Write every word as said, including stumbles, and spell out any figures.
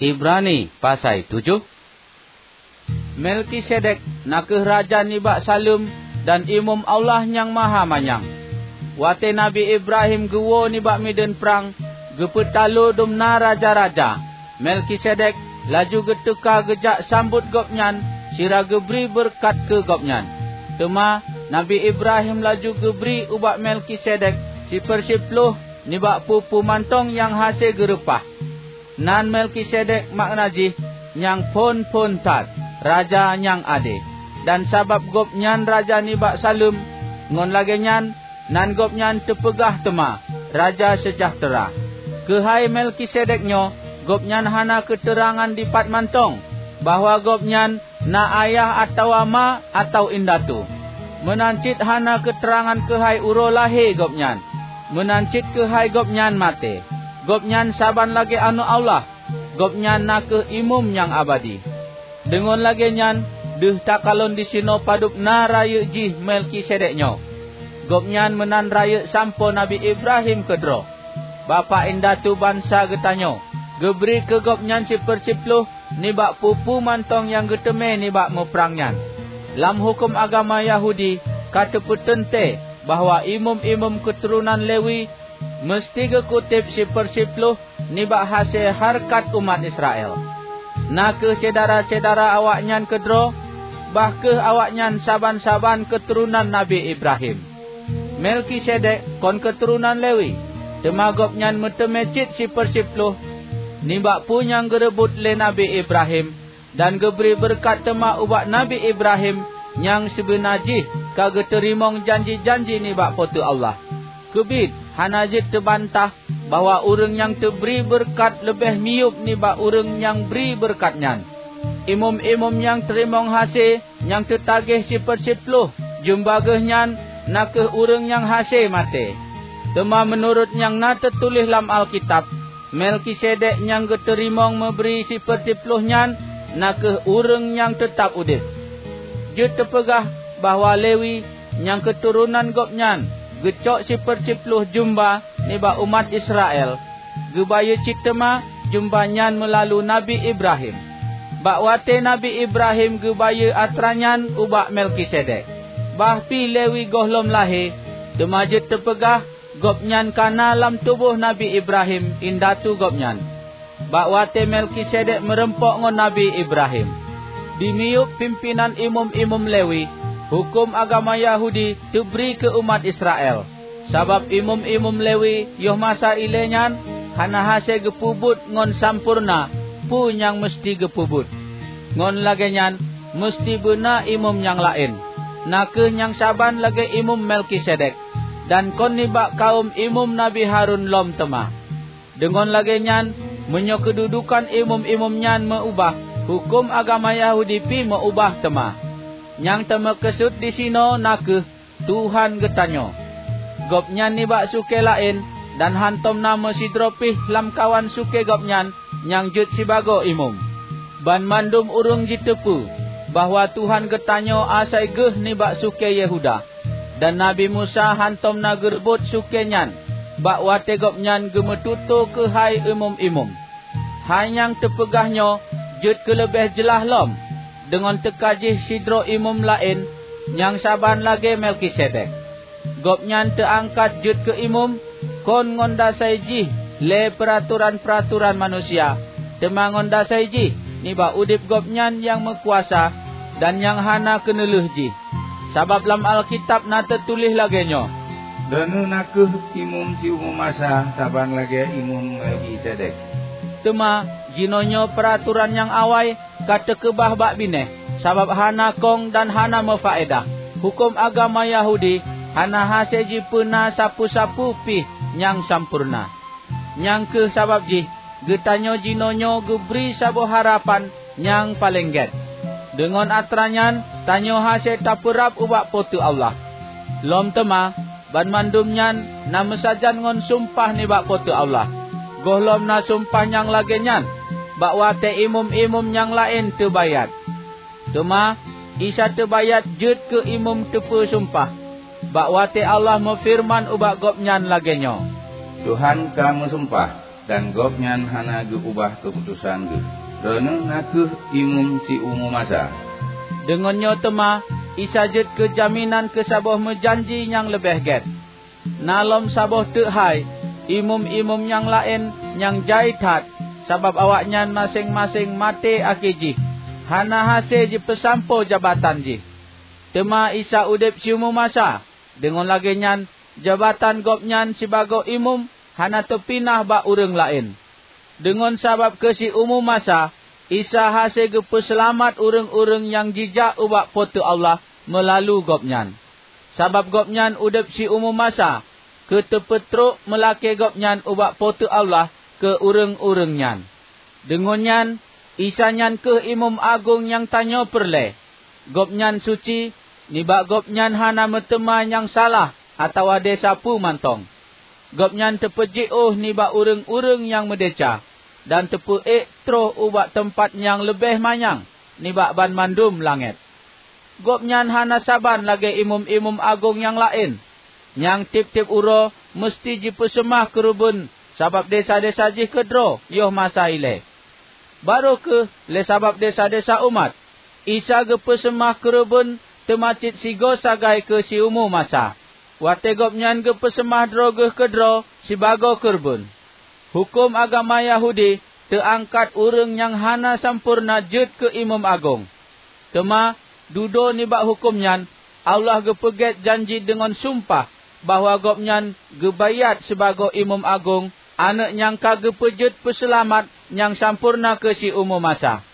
Ibrani pasai tujoh. Melkisedek na kheueh raja nibak Saleuem dan imeum Allah Nyang Mahamanyang. Watée Nabi Ibrahim geuwoe nibak mideuen prang geupeutalo dum na raja-raja, Melkisedek laju geuteuka geujak sambot gobnyan sira geubri beureukat keu gobnyan. Teuma Nabi Ibrahim laju geubri ubak Melkisedek sipeursiplôh nibak peue-peue mantong nyang hase geureupah. Nan Melkisedek makna jih nyang phon-phon that, raja nyang ade. Dan sabab gobnyan raja nibak Saleuem, ngon lagée nyan nan gobnyan teupeugah teuma Raja Seujahteura. Keuhai Melkisedek nyoe, gobnyan hana keuteurangan dipat mantong bahwa gobnyan na ayah atawa ma atawa indatu. Meunan cit hana keuteurangan keuhai uroe lahé gobnyan. Meunan cit keuhai gobnyan maté. Gobnyan saban lagée aneuëk Allah. Gobnyan na kheueh imeum nyang abadi. Deungon lagée nyan, deuh takalon disinoe padub na rayeuk jih Melkisedek nyoe. Gobnyan meunan rayeuk sampoe Nabi Ibrahim keudroe, bapak indatu bansa geutanyoe. Geubri keu gobnyan sipeursiplôh nibak peue-peue mantong nyang geuteumé nibak muprang nyan. Lam huköm agama Yahudi ka teupeuteuntée bahwa imeum-imeum keuturonan Lewi meuseuti geukutéb sipeursiplôh nibak hase hareukat umat Israel, na kheueh syedara-syedara awaknyan keudroe, bah kheueh awaknyan saban-saban keuturonan Nabi Ibrahim. Melkisedek kon keuturonan Lewi, teuma gobnyan meuteumé cit sipeursiplôh nibak peue nyang geureubot lé Nabi Ibrahim, dan geubri beureukat teuma ubak Nabi Ibrahim nyang sibeuna jih ka geuteurimong janji-janji nibak Po teu Allah. Keubiet hana jeuet teubantah bahwa ureuëng nyang teubri beureukat leubeh miyueb nibak ureuëng nyang bri beureukat nyan. Imeum-imeum nyang teurimong hase nyang teutagéh sipeursiplôh jumba geuh nyan na kheueh ureuëng nyang hase maté. Teuma meunurot nyang na teutuléh lam Alkitab, Melkisedek nyang geuteurimong meubri sipeursiplôh nyan na kheueh ureuëng nyang teutab udeb. Jeuet teupeugah bahwa Lewi nyang keuturonan gobnyan geucok sipeursiplôh jumba nibak umat Israel, geubayeue cit teuma jumba nyan meulalu Nabi Ibrahim. Bak watée Nabi Ibrahim geubayeue atra nyan ubak Melkisedek, bah pi Lewi gohlom lahé, teuma jeuet teupeugah gobnyan ka na lam tuboh Nabi Ibrahim, indatu gobnyan, bak watée Melkisedek meureumpok ngon Nabi Ibrahim. Dimiyueb pimpénan imeum-imeum Lewi, huköm agama Yahudi teubri keu umat Israel. Sabab imeum-imeum Lewi yoh masa ilée nyan hana hase geupeubuet ngon sampoereuna peue nyang meuseuti geupeubuet. Ngon lagée nyan, meuseuti beuna imeum nyang laén, na kheueh nyang saban lagée imeum Melkisedek, dan kon nibak kawöm imeum Nabi Harun lom teuma. Deungon lagée nyan, meunyoe keududukan imeum-imeum nyan meu-ubah, huköm agama Yahudi pi meu-ubah teuma. Nyang teumeukeusut disinoe na kheueh Tuhan geutanyoe. Gobnyan nibak sukée laén, dan hantom na meusidroe pih lamkawan sukée gobnyan nyang jeuet sibagoe imeum. Banmandum ureuëng jiteupeu bahwa Tuhan geutanyoe asai geuh nibak sukée Yehuda, dan Nabi Musa hantom na geureubot sukée nyan bak watée gobnyan geumeututoe keuhai imeum-imeum. Hai nyang teupeugah nyoe jeuet keu leubeh jeulaih lom, deungon teuka jih sidroe imeum laén nyang saban lagée Melkisedek. Gobnyan teuangkat jeuet keu imeum, kon ngon dasai jih lé peuratoran-peuratoran manusia, teuma ngon dasai jih nibak udeb gobnyan nyang meukuasa dan nyang hana keuneulheueh jih. Sabab lam Alkitab na teutuléh lagée nyoe, "Droeneueh na kheueh imeum siumu masa saban lagée imeum Melkisedek." Teuma jinoenyoe peuratoran nyang awai ka teukeubah bak binéh, sabab hana kong dan hana meufaedah. Huköm agama Yahudi hana hase jipeuna sapeue-sapeue pih nyang sampoereuna. Nyang kheueh sabab jih geutanyoe jinoenyoe geubri saboh harapan nyang paleng gét. Deungon atra nyan tanyoe hase tapeurab ubak Po teu Allah. Lom teuma, banmandum nyan na meusajan ngon sumpah nibak Po teu Allah. Gohlom na sumpah nyang lagée nyan bak watée imeum-imeum nyang laén teubayat. Teuma Isa teubayat jeuet keu imeum teupeu sumpah, bak watée Allah meufeureuman ubak gobnyan lagée nyoe, "Tuhan ka meusumpah, dan Gobnyan hana geu-ubah keuputosan Geuh. Droeneueh na kheueh imum siumu masa." Deungon nyoe teuma Isa jeuet keu jaminan keu saboh meujanji nyang leubeh gét. Na lom saboh teuk hai, imum-imum nyang laén nyang jai that, sabab awaknyan maséng-maséng maté akhé jih, hana hase jipeusampoe jabatan jih. Teuma Isa udeb siumu masa, deungon lagée nyan jabatan Gobnyan sibagoe imum hana teupinah bak ureuëng laén. Deungon sabab keu siumu masa, Isa hase geupeuseulamat ureuëng-ureuëng nyang jijak ubak Po teu Allah meulalu Gobnyan. Sabab Gobnyan udeb siumu masa, keu teupeutrok meulakée Gobnyan ubak Po teu Allah keu ureuëng-ureuëng nyan. Deungon nyan, Isa nyan kheueh Imum Agong nyang tanyoe peureulée. Gobnyan suci, nibak Gobnyan hana meuteuma nyang salah atawa desya peue mantong. Gobnyan teupeujiôh nibak ureuëng-ureuëng nyang meudesya, dan teupeuék troh ubak teumpat nyang leubeh manyang nibak banmandum langét. Gobnyan hana saban lagée imum-imum agong nyang laén, nyang tieb-tieb uroe meuseuti jipeuseumah keureubeuen sabab desya-desya jih keudroe yoh masa ilée. Barô kheueh lé sabab desya-desya umat, Isa geupeuseumah keureubeuen teuma cit sigoe sagai keu siumu masa, watée Gobnyan geupeuseumah droe Geuh keudroe sibagoe keureubeuen. Huköm agama Yahudi teuangkat ureuëng nyang hana sampoereuna jeuet keu imum agong. Teuma, dudoe nibak huköm nyan, Allah geupeugét janji deungon sumpah bahwa Gobnyan geubaiát sibagoe Imum Agong, aneuëk nyang ka geupeujeuet peuseulamat nyang sampoereuna keu siumu masa.